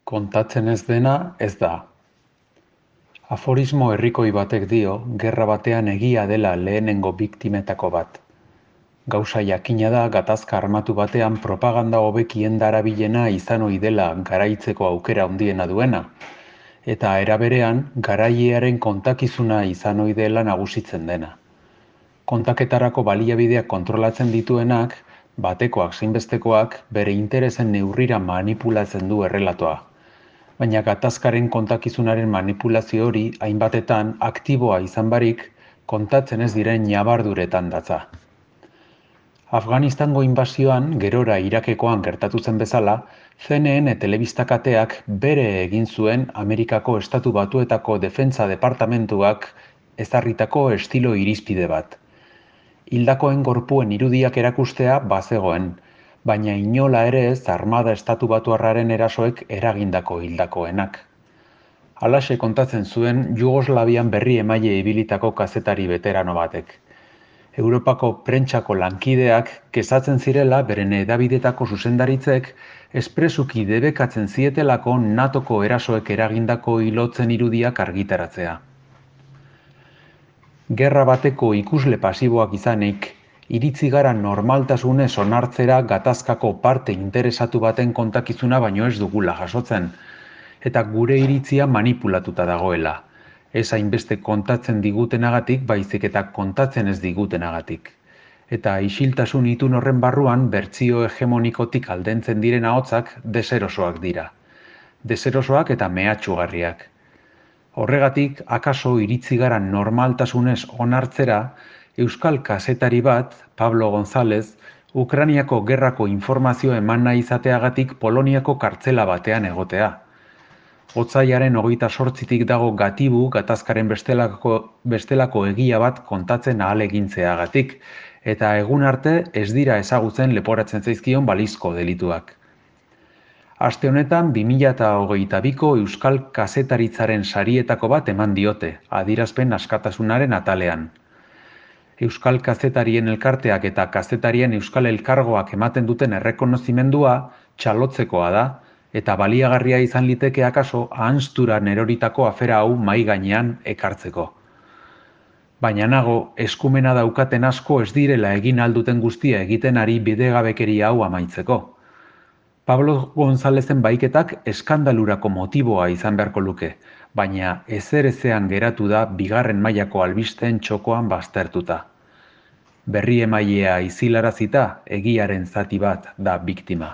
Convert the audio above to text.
Kontatzen ez dena ez da. Aforismo herrikoi batek dio, gerra batean egia dela lehenengo biktimetako bat. Gauza jakina da gatazka armatu batean propaganda hobekien darabilena izan ohi dela garaitzeko aukera handiena duena, eta era berean garailearen kontakizuna izan ohi dela nagusitzen dena. Kontaketarako baliabideak kontrolatzen dituenak, batekoak zein bestekoak, bere interesen neurrira manipulatzen du errelatoa. Baina gatazkaren kontakizunaren manipulazio hori hainbatetan aktiboa izan barik, kontatzen ez diren ñabarduretan datza. Afganistango inbasioan, gerora Irakekoan gertatu zen bezala, CNN telebistakateak bere egin zuen Amerikako Estatu Batuetako Defentsa Departamentuak ezarritako estilo irizpide bat. Hildakoen gorpuen irudiak erakustea bazegoen, baina inola ere ez armada estatu batuarraren erasoek eragindako hildakoenak. Halaxe kontatzen zuen Jugoslavian berri emaile ibilitako kazetari veterano batek. Europako prentsako lankideak kezatzen zirela beren hedabidetako zuzendaritzek espresuki debekatzen zietelako NATOko erasoek eragindako hilotzen irudiak argitaratzea. Gerra bateko ikusle pasiboak izanik, iritzi gara normaltasunez onartzera gatazkako parte interesatu baten kontakizuna baino ez dugula jasotzen, eta gure iritzia manipulatuta dagoela, ez hainbeste kontatzen digutenagatik baizik eta kontatzen ez digutenagatik. Eta isiltasun itun horren barruan bertsio hegemonikotik aldentzen diren ahotsak deserosoak dira. Deserosoak eta mehatxugarriak. Horregatik, akaso iritzi gara normaltasunez onartzera, euskal kazetari bat, Pablo González, Ukrainiako gerrako informazio eman nahi izateagatik Poloniako kartzela batean egotea. Otsailaren 28tik dago gatibu gatazkaren bestelako egia bat kontatzen ahalegintzeagatik, eta egun arte ez dira ezagutzen leporatzen zaizkion balizko delituak. Aste honetan 2022ko Euskal Kazetaritzaren sarietako bat eman diote, adierazpen askatasunaren atalean. Euskal Kazetarien elkarteak eta kazetarien Euskal Elkargoak ematen duten errekonozimendua txalotzekoa da, eta baliagarria izan liteke akaso ahanzturan eroritako afera hau mahai gainean ekartzeko. Baina nago, eskumena daukaten asko ez direla egin alduten guztia egiten ari bidegabekeria hau amaitzeko. Pablo Gonzálezen bahiketak eskandalurako motiboa izan beharko luke, baina ezerezean geratu da bigarren mailako albisteen txokoan baztertuta. Berri emailea izilarazita, egiaren zati bat da biktima.